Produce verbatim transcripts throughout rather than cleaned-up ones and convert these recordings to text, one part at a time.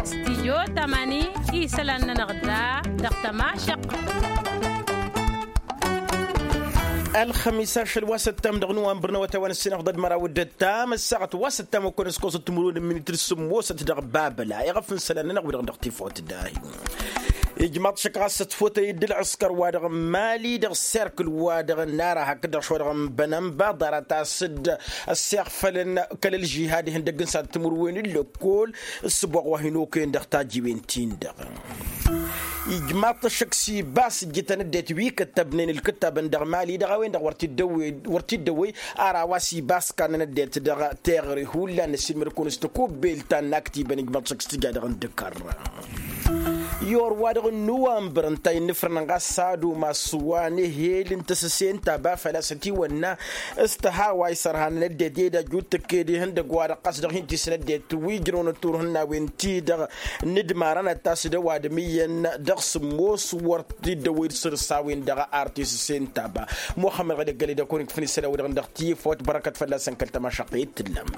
Stijyo tamani isălan-nănăɣ da dăɣ-tămašăq. Ălxămis ašăl wa s-ăttam dăɣ-nuwănbăr n-awătay wa n-ăssinăɣ d-ădmăraw d-ăttam ăssaɣăt wa s-ăttam okănăskosăt timǝrwen n-minitri s-sǝmmosăt dăɣ-babăla iɣăf n-isălan-nănăɣ wi-dăɣ dăɣ-tifawt dahi. Ijmaḍ šăkk ɣas s-ătfotăy d-ǝlɣǝskăr wa dăɣ-n mali dăɣ-serkǝl wa dăɣ-n ara hakd-dăɣ šwa dăɣ-n bănănba ḍarăt-as-dd ăssiɣfălăn kăl-ălžihad ihăndăgg n-sad timǝrwen n-lăkkol. S-ăboɣ wa hin-okăyăn dăɣ-tajiwen-tin-dăɣ. Ijmaḍ-t ăššăk s-ibas ǝjjǝtăn ăddinăt wi kăttăbnen ǝlkǝttabăn dăɣ-mali dăɣ-a-wen-dăɣ wăr t-dd-ăwwey wăr t-dd-ăwwey. Ara wa s-ibas kannăn ăddinăt dăɣ-teɣăre hullan ăssiilmăd-kăwăn s-tăkubbelt ta n-aktibăn ijmaḍ-t ăššăk s-tǝja dăɣ-indǝkăr. I-or-wa-dăɣ n-nuwănbăr ǝnta a innǝfrănăn ɣas s-ad-umas wa n-ehel n-tăsăse n-taba făl-a-s ătiwănna s-tăhawa isărhanăn ăddinăt i-dd-ajju d-tǝkked ihăndăgg-wa-dăɣ ɣas dăɣ-hin-tisnăddinăt wi ǝjrăwăn turhǝnnawen-ti-dăɣ n-dd-marăn ad-t-as-dd-ăwadǝm iyyăn dăɣ-sǝmmos wăr t-dd-ăwwăy d-săr-s a-wen-dăɣ ar t-isǝse n-taba. Muxămmăd ɣăli ăggălăy d-ăkun ikfăn isălan-wi-dăɣ dăɣ-tiyǝfot bărăkăt fălla-săn kăl-tămašăqqe i-t-tǝllam.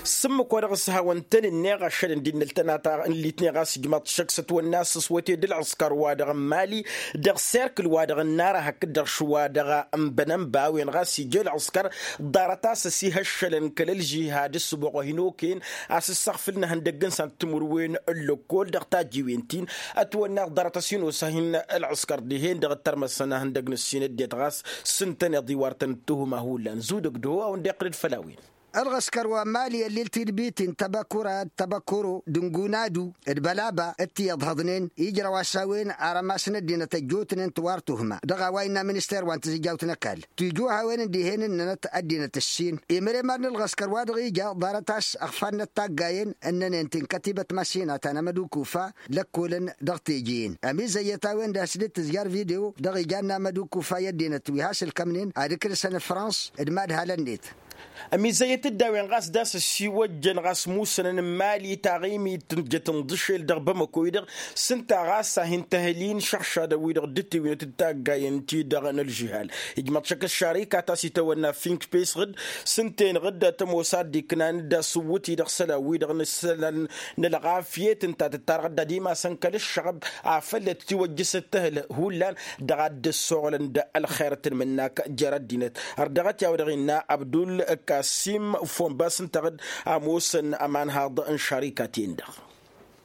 S-ǝmmǝk wa dăɣ-s hawăn-tăn-ǝnneɣ ašăl n-dd-innăl tănata n-litneɣ a-s ijmaḍ-t šăkk s-ătwănna a-s s-wăte d-ǝlɣǝskăr wa dăɣ-n mali dăɣ-serkǝl wa dăɣ-n nara hakd-dăɣ šwa dăɣ-n bănănba a-wen ɣas ija ǝlɣǝskăr. Ḍarăt-as ăsihăššălăn kăl-ălžihad s-sǝboɣ wa hin-okăyăn a-s ǝssăɣfǝlăn ihăndăgg n-săn timǝrwen n-lăkkol dăɣ-tajiwen-tin. Ătwănna ḍarăt ăsinosa hin-ǝlɣǝskăr dihen-dăɣ ǝttărmăsăn ihăndăgg n-ǝssin ăddinăt ɣas s-ǝntăneḍ iwar-tăn ǝttuhǝma hullan zudăg d-ho a-wen dd-iqqǝl-dd făll-a-wen. Ălɣǝskăr wa n-mali ăllil tidbitin tăbăkura d-tăbăkuro d-ǝngunadu d-bălaba d-ti-iḍhăḍnen ijrăw a-s a-wen arămas n-ăddinăt ăjjootnen tiwar tuhǝma dăɣ-a-wa innă minister wa n-tizǝjjawt n-ăkall tijuhawen n-dihen ǝnnănăt ăddinăt ǝssin. Imremar n-ǝlɣǝskăr wa dăɣ-ija ḍarăt a-s ăɣfannăt taggayen ǝnnănen ti n-kătibăt masinat anămădukufa lăkkolăn dăɣ-teje-en ămizăyyăt a-wen-dăɣ a-s dd-tǝzjar video dăɣ-ija n-amădukufa i-ăddinăt wi has-ǝlkămnen ad-ǝkǝlsăn ăkǝlsăn frans d-mad-halăn-net. Ămizăyyăt-dd a-wen ɣas d-a-s ăssiwăjjăn ɣas musănăn n-mali taɣimit tǝnjăt n-iḍǝšel dăɣ-bamăko-i-dăɣ s-ǝnta ɣas a hin-tăhǝlin šăɣšadăn-wi-dăɣ dd-tiwinăt d-taggayen-ti-dăɣ n-ălžihal. Ijmăḍ šăkk ăššarika ta s-itawănna fink pesɣǝd s-ǝnta-enăɣ-dd a tămoos ad-dd-iknan d-asǝwwǝt-i-dăɣ isălan-wi-dăɣ n-isălan n-ălɣafyăt ǝnta a tǝttarăɣ-dd ad-imasăn kăl-ǝššăɣăb afăl dd-tiwăjjăsăt tăhǝl hullan dăɣ-ad-dd-ăssoɣlăn d-ălxer d-tanmǝnnak jer-ăddinăt. Ărdăɣăt i-a-wa dăɣ-innă abdul kasim fonbas ǝnta a ămoosăn ămanhaḍ n-šarikat-en-dăɣ.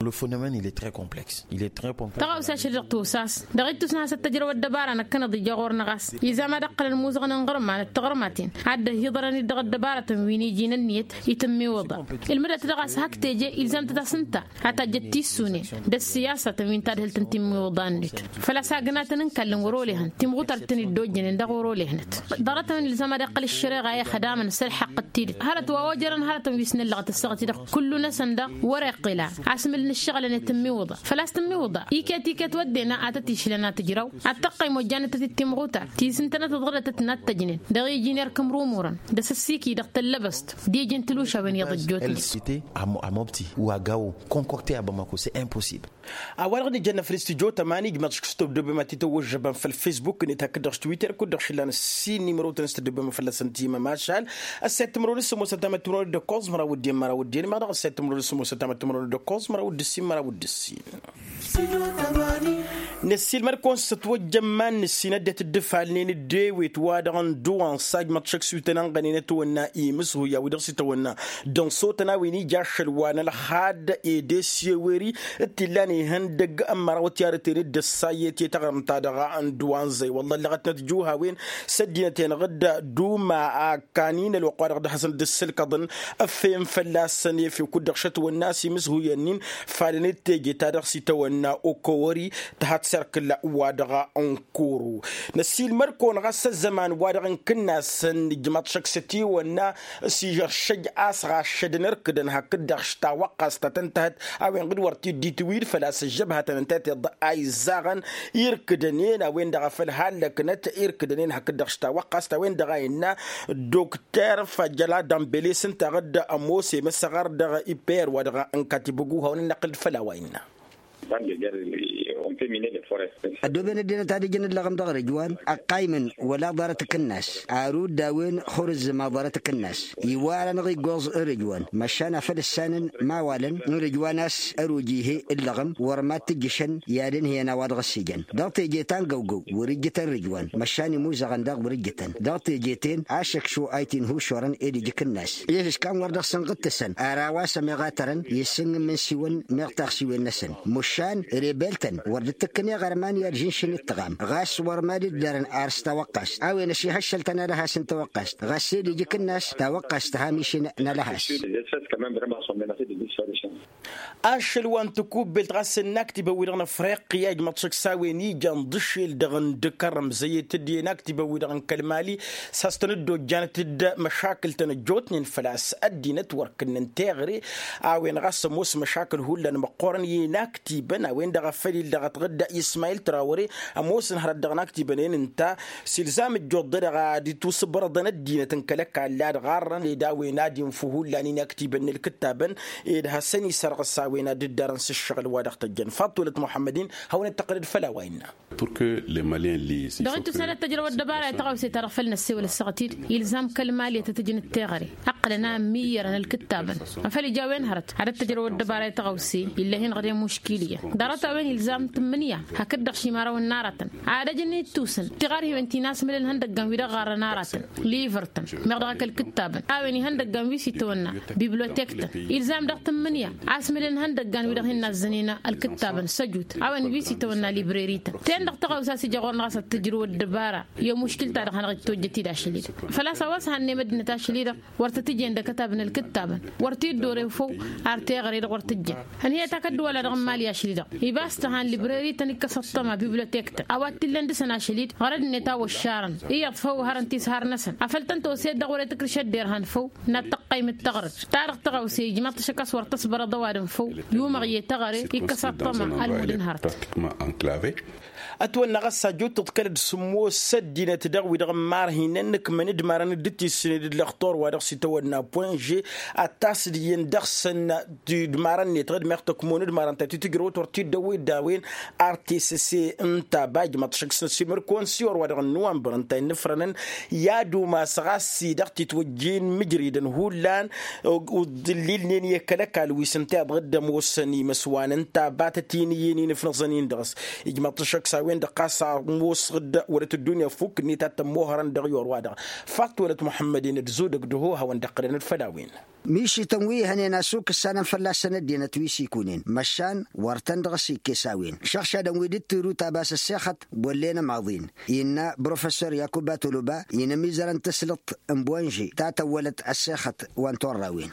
Le phenomène il est très complexe. Il est très complexe. Tăɣawsa ašăl-dăɣ tusas dăɣ-ittus n-hasăt tăjrăw ăddăbara năkkăneḍ ija ɣur-năɣ a-s izam ad-ăqqălăn imuzăɣăn n-iɣărman d-tiɣărmaten ad-dd-ăhiḍărăn-dd dăɣ-ăddăbaratăn wi n-iji n-ǝnniyăt itǝmmiwǝḍa. Ǝlmǝdăt dăɣ-a-s hak teje ilzam-tăt a-s ǝnta a tajjăt tissunen d-ăssiyasatăn wi n-tadhǝlt n-timmiwǝḍa-net. Făl-a-s agnatăn n-kallăn wăr-olehăn timɣutar d-tăn-dd-ojjănen dăɣ-wăr-olehnăt. Ḍarăt-a-wen ilzam ad-iqqăl ǝššăreɣa i-ăxdamăn s-ălḥăqq d-tidǝt hărăt wa ojărăn hărătăn wi s-nǝllăɣăt ǝssaɣăt-i-dăɣ kullu-năsăn daɣ wăr-iqqǝla. Asmǝl n-ǝššăɣǝlăn i-tǝmmiwǝḍa făl-a-s tǝmmiwǝḍa iket iket wădden a tăt-išlăn ad-tǝjrăw ad-tăqqăym ojjanăt-tăt-dd timɣutar ti s-ǝntănăt ăḍɣălătăt n-ad-tăjnen dăɣ-iji n-erk ǝmrumurăn d-asǝssikǝy dăɣ-tăllăbăst d-iji n-tǝlušawen iyyăḍ ăjjootnen. C'était à Mo- à Mopti ou à Gao, concocté à Bamako, c'est impossible. A-wa-dăɣ d-ijănna făll-s tǝjot ămani ijmăḍ šik s-tăddobem ad-t-tăwwăžžăbăm făll-facebook-net hakd-dăɣ s-twitter kud-dăɣ šǝllan ǝssin n-imrăwtăn s-tăddobem fălla-săn timăm ašal. Ăssayăt timrăwen s-sămoosăn tamăt timrăwen d-ăkkoẓ măraw d-en măraw d-en meɣ dăɣ-ăssayăt timrăwen s-sămoosăn tamăt timrăwen d-ăkkoẓ măraw d-ǝssin măraw d-ǝssin. Năssiilmăd-kăwăn s-ătwăjja ămman n-ǝssin ăddinăt dd-ǝfalnen d-ewet wa-dăɣ n-duwăn s-ajmăḍ šăkk s-wi tăn-ănɣănen ătwănna imǝshǝy a-wi dăɣ-s itwănna d-ănṣotăn a-wen ija ašăl wa n-ălxad ede s-eweri d-t-illan ihăndăgg n-măraw tiarăten d-ăssayet i-taɣrǝmt-ta-dăɣ n-duwăn zăy wălla ǝllăɣătnăt juhawen s-ăddinăt-enăɣ d-duma a ăkkan-in ălwăqq-wa-dăɣ dd-hasăn-dd-ǝssǝlkăḍăn. Ăffeyăn fălla-săn efew kud-dăɣ šătwănna a-s imǝshǝyăn-in falăn-dd teje ta dăɣ-s itwănna okowări tăhăt serkǝl wa dăɣ-n kuru. Năsiilmăd-kăwăn ɣas ăzzăman-wa-dăɣ n-kǝnnasăn ijmăḍ šăkk s-ătiwănna s-ižăršăj a-s ɣaššădăn ărkǝdăn hakd-dăɣ šta wăqqas ta tăn-tahăt a-wen ɣǝd wăr t-dd-itwǝy d-făl-a-s ăžžăbhătăn ǝnta a t-iḍa a iẓẓaɣăn irkǝdăn-en a-wen-dăɣ a făl hallăknăt irkǝdăn-en hakd-dăɣ šta wăqqas ta-wen-dăɣ a innă dokter fajăla dănbele s-ǝnta a ɣǝd ămoos i-măsăɣăr dăɣ-iper wa dăɣ-n katibăgu hawăn-in-năqqǝl d-făll-a-wa innă. Bănde jer-i Ăddooben ăddinăt ad-ǝjǝn ǝllăɣăm dăɣ-rǝjwan ăqqaymǝn wăla ḍarăt akǝnnas. Arud d-a-wen xurǝzzǝm aḍarăt akǝnnas iwar-anăɣ iggoẓ. Rǝjwan măšan afăl ǝssanăn mawalăn n-rǝjwan a-s ăruj ihe ǝllăɣăm wăr mad-tǝjjǝšăn i-ad-ǝnhǝyăn a-wa dăɣ-s ijăn dăɣ-teje ta n-găwgăw. Wăr-ǝjjǝtăn rǝjwan măšan imuzăɣăn daɣ wăr-ǝjjǝtăn dăɣ-teje-ten ašăkšu a itinhušorăn ed ija akǝnnas. Ih' ǝškan wăr dăɣ-săn ɣǝttǝsăn ar a-wa s-ămeɣ a tărăn i-ǝssǝn n-imǝnsiwăn meɣ taɣsiwen-năsăn. Măšan rebel-tăn wăr dd-tǝkkǝn iɣărman i-ad-žǝnšǝn d-tăɣam ɣas wăr mad-dd-dărăn ar s-tawăqqast a-wen ăšihăššăl-tăn alăhas n-tawăqqast ɣas ed ija akǝnnas tawăqqast tăham išǝn n-alăhas. Ašăl wa n-tikubbelt ɣas n-inaktibăn-wi-dăɣ n-afriqya ijmăḍ-t šăkk s-a-wen ijan d-ašel dăɣ-n d-kărrăm zăyet-dd i-inaktibăn-wi-dăɣ n-kăl-mali s-has-tăn-dd-ojjanăt d-măšakǝl-tăn ăjjootnen făl-a-s ăddinăt wăr kǝnnăn teɣăre. A-wen ɣas ămoos măšakǝl hullan măqqoorăn i-inaktibăn a-wen-dăɣ a făl illa dăɣ-t ɣǝdda ismayil trawăre ămoosăn hărăt dăɣ-inaktibăn-en ǝnta. S-ilzam ǝjjuḍ-dăɣ ad-itusǝbrăḍăn ăddinăt n-kăl-ăkall ad-ɣarrăn ed a-wen ad-infǝw hullan inaktibăn n-ǝlkǝttabăn ed hasăn-isărɣǝs a-wen ad-dd-arăn s-ǝššăɣǝl wa dăɣ-tăjjăn faḍt wălăt muḥămmăd-in. Hawăn-dd-tăqqǝlăd făll-a-wa innă. Dăɣ-ittus ad-ăttăjrăw ăddăbara i-taɣăwse ta dăɣ-făl năssewăl ăssaɣăt-dd ilzam kăl-mali ad-tăt-ǝjǝn d-teɣăre. Ăqqǝlăn a ǝmmiyărăn ălkǝttabăn afăl ija a-wen hărăt ad-ăttăjrăw ăddăbara i-taɣăwse. Illa hin-ɣăr i-muškil iyyăn ḍarăt a-wen ilzam tǝmmǝnǝya hakd-dăɣ šimarăwăn n-aratăn ad-ăjǝn ittusăn tiɣarhiwen ti n-asmǝlăn ihăndăggan wi dăɣ-ɣarrăn aratăn. Livăr-tăn meɣ dăɣ-ak ălkǝttabăn a-wen ihăndăggan wi s-itawănna biblotek-tăn ilzam dăɣ-tǝmmǝnǝya asmǝlăn ihăndăggan wi dăɣ-hin-nazzănen ălkǝttabăn săjut a-wen wi s-itawănna libreri-tăn. Ten-dăɣ taɣawsa a-s ija ɣur-năɣ a-s ad-tǝjrǝw ăddăbara i-muškil-ta-dăɣ hanăɣ-dd-tojjăt-dd ašăl-i-dăɣ făl-a-s a-wa s-hannăyăm ăddinăt ašăl-i-dăɣ wăr tăt-ǝjen d-akătab n-ǝlkǝttabăn. Wăr t-dd-ore făw ar teɣăre-dăɣ wăr tǝjjăn ănhǝyăt ak ăddăwăla dăɣ-n mali ašăl-i-dăɣ ibas tăhan libreri-tăn ikkăs ăṭṭăma biblotek-tăn a-wa t-illăn dăɣ-săn ašăl-i-dăɣ ɣărăd-net a wăššarăn. Iyyăḍ făw hărăn-t-s har-năsăn afăl tăn-tăwse dăɣ-wăr-e tǝkrǝš ăddinăt han făw n-ad-tăqqaym d-taɣrǝd ta dăɣ-tăɣawse ijmăḍ-t ašăk a-s wăr tăsbărăḍ ăwadǝm făw. Yumăɣ i-teɣăre ikkăs ăṭṭăma ălmud n-hărăt. Ătwănna ɣas ajut tǝḍkălăd sǝmmos ăddinăt dăɣ-wi-dăɣ n-imarhinăn ǝkmăn d-imarăn dd-tissǝned d-lăxtur wa dăɣ-s itawănna poinže ad-t-asǝdǝyăn dăɣ-săn. Idmarăn-net ɣǝd meɣ tăkmon d-imarăn ta titǝjrăwăt wăr t-dd-ăwwed d-a-wen ar tesăse n-taba ijmăḍ-t šăkk s-năsimăr konsiyor wa dăɣ-nǝwanbăr ǝnta innǝfrănăn i-ad-umas ɣas-i dăɣ-titwăjjin mǝjridăn hullan. Uḍǝllilnen i-kăl-ăkall wi s-ǝnta iḍăɣ dd-ămoosăn imăswan ǝnta a batăt-in iyyăn inǝfnăẓăn-in dăɣ-s. Ijmăḍ-t šăkk s-a-wen-dăɣ ɣas ămoos ɣǝd wălăt ăddunya ăfuk-net ad-tămmohărăn dăɣ-i orwa-dăɣ. Faḍt wălăt muḥămmăd-in d-zudăg d-ăhohawăn d-ăqqǝlăn d-făll-a-wen. Mišităn wi hănen a-s ukǝssanăn fălla-săn ăddinăt wi s-ikunen măšan wăr tăn-dăɣ-s ikkes a-wen šăɣšadăn wi dd-tǝru tabas ăssexăt. Bollen ămaḍin innă brofessor yakuba toloba inămizărăn tǝslǝḍt n-bonže ta tăwwălăt ăssexăt wa n-torrawen.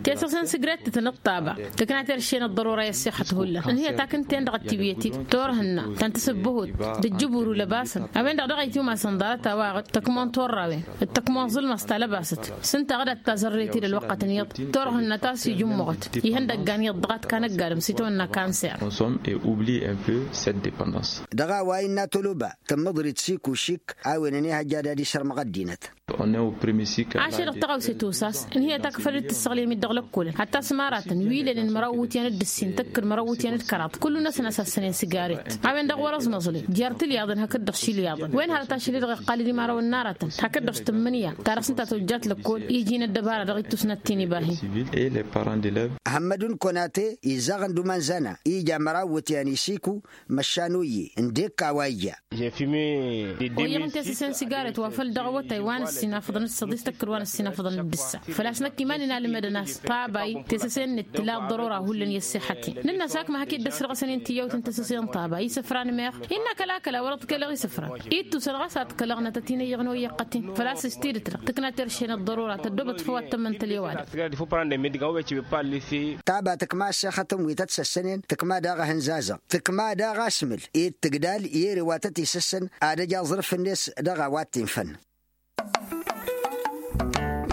Tesăse n-sigret tǝtnăḍ taba tǝkna terše n-ăḍḍărora i-ăssexăt hullan ǝnhǝyăt akǝnten dăɣ-ătiwǝyăt-dd turhǝnna ta n-tasǝbbăhut d-ǝjjǝburu lăbasăn a-wen-dăɣ dăɣ-itiwmasăn ḍarăt a-wa ɣǝd tăkmon turrawen d-tăkmon ẓǝlmăẓ ta lăbasăt. S-ǝnta ɣǝd ad-tazărret-dd ălwăqqătăn iyyăḍ turhǝnna ta s-ijǝmmăɣăt ihăndăggan iyyăḍ dăɣ-ad-kanăggadăm s-itawănna kanser. Consommer et oublier un peu cette dépendance. Dăɣ-a-wa innă toloba tǝmmǝḍrit s-ikušik a-wen ănihăjja ad-ad-isărmăɣ ăddinăt. Ašăl-dăɣ tăɣawse tosa a-s ǝnhǝyăt a kăfăl dd-tǝssăɣlem-dd dăɣ-lăkkolăn hatta s-măratăn wi lănen măraw iwǝtyan d-ǝssin tăkk d-măraw iwǝtyan d-kăraḍ kullu-năsăn a-s ăssănen sǝgaret. A-wen-dăɣ wăr-ăẓmăẓlem jer-tǝlyaḍăn hakd-dăɣ šilyaḍăn wen hărăt ašăl-i-dăɣ iqqal-dd imărawăn n-aratăn hakd-dăɣ s-tǝmmǝnǝya ta dăɣ-s ǝnta tojjat lăkkol iji n-ăddăbara dăɣ-ittus n-ad-t-in-ibahin. Hămmădun konate izzaɣăn d-umanzana ija măraw iwǝtyan isiku. Măšan oyye ǝndek a-wa ija. Oyyăɣ n-tesăse n-sigaret wa făl dăɣ-awătay wa n-ǝssin afăḍăn d-săḍis tăkk d-wa n-ǝssin afăḍăn d-ǝssa. Făl-a-s năkk iman-in almădăn a-s tabay tesăse-net tǝla ăḍḍărora hullan i-ăssixăt-in. Nǝnn'-as akma hak-dd-ăsrăɣăsăn i-n tiyyăwt n-tesăse n-tabay isǝfran meɣ innă kăla kăla wăr-ăḍkălăɣ isǝfran. Ittusăn ɣas a ăḍkălăɣnăt ătinăyyăɣ n-oyyăɣ-t-in. Făl-a-s s-tidǝt-dăɣ tǝkna terše n-ăḍḍărora tăddoobăt făw ad-tămmăntăl i-ăwadǝm. Taba tǝkma ăssexăt n-wi tăt-săssănen tǝkma daɣ ehăn zazăɣ tǝkma daɣ asmǝl ed tǝgdal i-ere wa tăt-isǝssăn. Ad-ăj aẓrǝf-net dăɣ-a-wa t-infăn.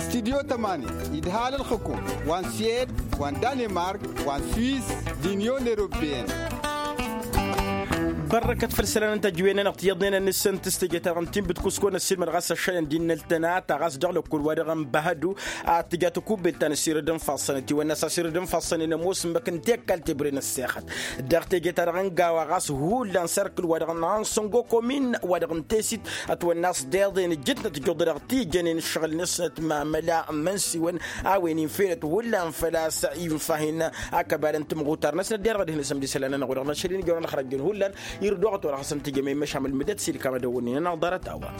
Studyo tămani idhal ǝlxǝkum wa n-suwed wa n-danemark wa n-swiss d-inyon eropeyăn. Bărrăkăt făll-isălan n-tajǝwen-nănăɣ tiyyăḍnen ănnissăn tǝstăje-ta-dăɣ n-tinbǝt kuskon ăssiilmăd ɣas ăššăyăn d-innăl tănata ɣas dăɣ-lăkkul-wa-dăɣ n-bahădu. Ad-tǝja takubbet ta n-ăssiirǝd n-ifassăn ătiwănna a-s ăssiirǝd n-ifassăn-en ămoos ǝmmǝk n-tekkal tebre n-ăssexăt dăɣ-teje-ta-dăɣ n-gawa ɣas hullan serkǝl-wa-dăɣ n-ansăngo komin-wa-dăɣ n-tesit. Ătwănna a-s deḍen ǝjjǝtnăt ijjuḍ-dăɣ ti jănen ǝššăɣǝl-năsnăt mamăla n-imănsiwăn a-wen infenăt hullan făl-a-s infa-hin akăbal n-timɣutar-năsnăt derɣ ad-hin-asǝmd isălan-nănăɣ-wa-dăɣ n-ašăl-in ijăwăn ălxărăjjăn hullan. Irduɣăt wăr ăxsăn tijămăy măšam ǝlmǝdăt s-ilkam ad-ăwwănnen ănăɣ ḍarăt a-wa.